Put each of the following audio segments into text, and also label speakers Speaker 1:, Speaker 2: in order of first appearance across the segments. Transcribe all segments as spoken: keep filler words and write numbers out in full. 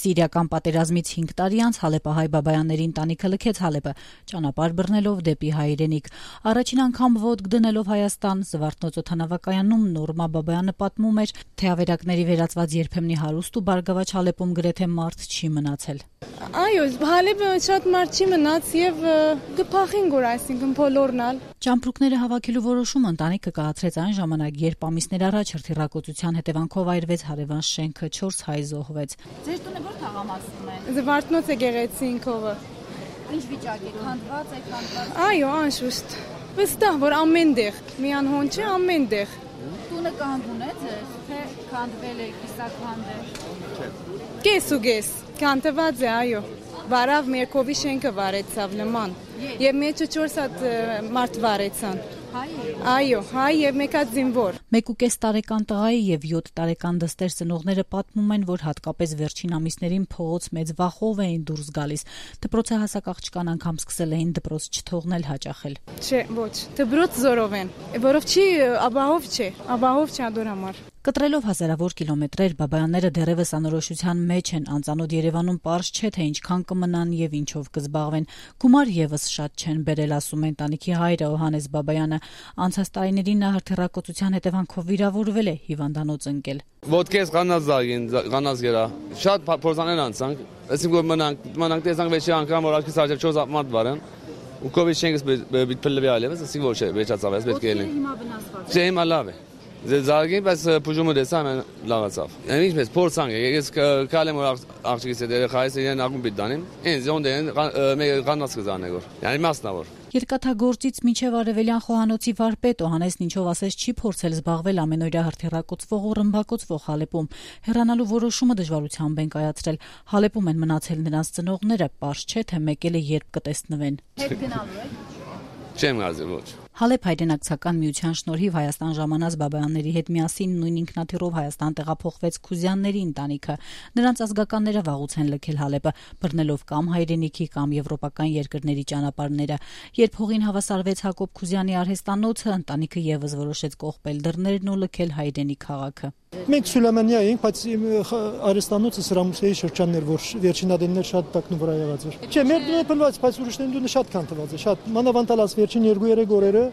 Speaker 1: Սիրիական պատերազմից հինգ տարի անց հալեպահայ բաբայանների ընտանիքը լքեց Հալեպը, ճանապարհ բռնելով դեպի հայրենիք։ Առաջին անգամ ոտք դնելով Հայաստան, Զվարթնոց օդանավակայանում Նորմա Բաբայանը պատմում էր, թե ավերակների վերածված երբեմնի հարուստ ու բարգավաճ Հալեպում գրեթե մարդ չի մնացել։
Speaker 2: Այո, Հալեպը շատ մարդ չի մնաց եւ գփախին գոր, այսինքն բոլորնալ։
Speaker 1: Ճամպրուկները հավաքելու որոշումը ընտանիքը կայացրեց այն ժամանակ, երբ ամիսներ առաջ հրթիռակոծության հետևանքով այրվեց հարևան շենքը, չորս հայ զոհվեց։
Speaker 3: Ձեր տունը ո՞ր թաղամասում է։
Speaker 2: Զվարթնոց եկեղեցինքովը։
Speaker 3: Ինչ վիճակ է, քանդված է, քանդված։
Speaker 2: Այո, անշուշտ։ Վստահ, որ ամենտեղ, միան հոն չէ, ամենտեղ։
Speaker 3: Տունը կանգուն է ձեր, թե քանդվել է, կիսաքանդ է։
Speaker 2: Կես ու կես, քանդված է, այո։ Վարավ Մերկովի շենքը վարեցավ նման։ Եվ մեջը չորս հատ մարդ վարեցան։ Այո, հայ եւ մեկ հատ զինվոր։
Speaker 1: Մեկ ու կես տարեկան տղայի եւ յոթ տարեկան դստեր ծնողները պատմում են, որ հատկապես վերջին ամիսներին փողոց մեծ վախով էին դուրս գալիս։ Դպրոցը հասակ աղջկան անգամ սկսել էին դպրոց չթողնել հաճախել։
Speaker 2: Չէ, ոչ, դպրոց զորով են, որով չի, աբահով չէ, աբահով չի ադոր համար։
Speaker 1: Կտրելով հազարավոր կիլոմետրեր, բաբայանները դեռևս անորոշության մեջ են, անծանոթ Երևանում պարզ չէ, թե ինչքան կմնան եւ ինչով կզբաղվեն։ Գումար եւս շատ չեն բերել, ասում է ընտանիքի հայրը Հովհաննես Բաբայանը։ Անցած տարիներին նա հրթիռակոծության հետևանքով վիրավորվել է, հիվանդանոց ընկել։
Speaker 4: Ոտքես ղանազագին, ղանազ գերա։ Շատ փորձաներ անցանք, այսինքն որ մնանք, մնանք տեսանք վեճի անգամ որ աչքից արժեք չորս մարդ վարան։ Ու կովիդ շենքս բիթփլվի այլևս, ասի ոչ է, վեճացավ, ես պետք է լինի։
Speaker 3: Հիմա վնասված։
Speaker 4: Չէ, հիմա լավ է։ Զարգին, բայց փուժումը դեսա ամեն լավացավ։ Ինչպես փորձանք, ես կալեմ որ աղջիկիս հետ երեխայիս իրեն ակումբի դանեմ։ Ինձ ոնդեն ղանաց կզանեգոր։ Yani մասնավոր։
Speaker 1: Երկաթագործից մինչև Արևելյան խոհանոցի վարպետ Հովհաննեսն ինչով ասես չի փորձել զբաղվել ամենօրյա հրթիռակոծվող ու ռմբակոծվող Հալեպում։ Հեռանալու որոշումը դժվարությամբ են կայացրել։ Հալեպում են մնացել նրանց ծնողները, պարզ չէ թե մեկ էլ է երբ կտեսնվեն։
Speaker 3: Հետ գնալու եք։
Speaker 4: Չեմ գազի ոչ։
Speaker 1: Հալեպ հայրենակցական միության շնորհիվ Հայաստան ժամանած Բաբայանների հետ միասին նույն ինքնաթիռով Հայաստան տեղափոխվեց Քուզյանների ընտանիքը։ Նրանց ազգականները վաղուց են լքել Հալեպը, բռնելով կամ հայրենիքի կամ եվրոպական երկրների ճանապարհները։ Երբ հողին հավասարվեց Հակոբ Քուզյանի արհեստանոցը, ընտանիքը եւս որոշեց կողպել դռներն ու լքել հայրենի քաղաքը։
Speaker 5: Մենք Սուլեյմանիա էինք, բայց արհեստանոցը Սրամուսեի շրջանն էր, որ վերջին adեններ շատ տակն վրա եղած էր։ Չէ, մեր դուրը փլված, բայց ուրիշների դուրը շատ քանթված է, շատ մանավանդալած վերջին երկու-երեք օրերը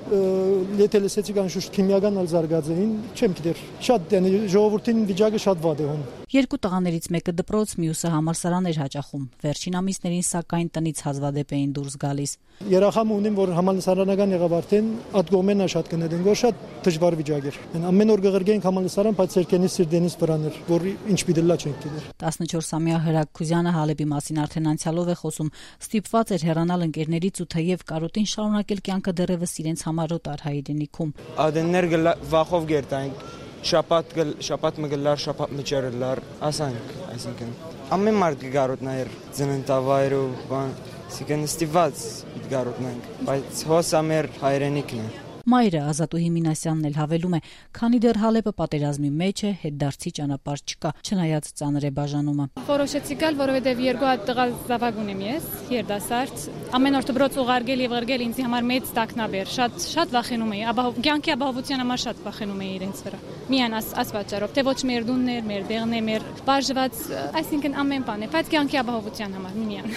Speaker 5: եթե լսեցիք անշուշտ քիմիական ալ զարգաց էին, չեմ գիտեր, շատ yəni ժողովրդին վիճակը շատ վատ է հոն։
Speaker 1: Երկու տղաներից մեկը դպրոց, մյուսը համալսարան էր հաճախում։ Վերջին ամիսներին սակայն տնից հազվադեպ էին դուրս գալիս։
Speaker 5: Երախամ ունեմ, որ համալսարանական եղավ արդեն, այդ գոմենա շատ կնետեն, որ շատ դժվար վիճակ էր։ Ամեն օր գղրգենք համալսարան, բայց երկենից սիրդենից վրան էր, որ ինչ պիտելա չենք գիտեր։
Speaker 1: տասնչորսամյա Հրակ Քուզյանը Հալեպի մասին արդեն անցյալով է խոսում, ստիպված էր հեռանալ ընկերներից ու թեև կարոտին շարունակել կյանքը դեռևս իրենց համարոտ արհայրենիքում։
Speaker 6: Ադեններ վախով գերտանք, շապատ շապատ մգլար, շապատ մճերլար, ասանք, այսինքն ամեն մարդ գարոտնայր ծննդավայրը, բան, այսինքն ստիպված գարոտնանք, բայց հոսա մեր հայրենիքն է։
Speaker 1: Մայրը Ազատուհի Մինասյանն էլ հավելում է, քանի դեռ Հալեպը պատերազմի մեջ է, հետդարձի ճանապարհ չկա, չնայած ծանր է բաժանումը։
Speaker 2: Որոշեցի գալ, որովհետև երկու հատ տղա զավակ ունեմ ես, երդասարդ։ Ամեն օր դպրոց ուղարկել եւ ղրգել ինձ համար մեծ տակնաբեր, շատ շատ վախենում էի, ապա կյանքի ապահովության համար շատ վախենում էի իրենց վրա։ Միան աս աս պատճառով, թե ոչ մեր դուններ, մեր դեղն է, մեր բաժված, այսինքն ամեն բան է, բայց կյանքի ապահովության համար միան։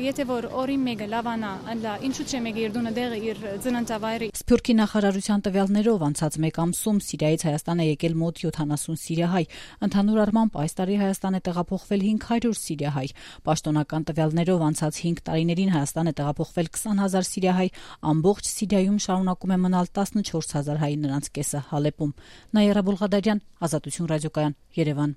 Speaker 2: Եթե որ օրին մեկը լավանա, ըլլա, ինչու՞ չէ մեկը իր դունը դեղը իր ծննդավայրը։
Speaker 1: Սփյուռքի նախարարության տվյալներով անցած մեկ ամսում Սիրիայից Հայաստան է եկել մոտ յոթանասուն սիրիահայ։ Ընդհանուր առմամբ այս տարի Հայաստան է տեղափոխվել հինգ հարյուր սիրիահայ։ Պաշտոնական տվյալներով անցած հինգ տարիներին Հայաստան է տեղափոխվել քսան հազար սիրիահայ, ամբողջ Սիրիայում շարունակում է մնալ տասնչորս հազար հայ, նրանց կեսը Հալեպում։ Նաիրա Բուլղադարյան, Ազատություն ռադիոկայան, Երևան։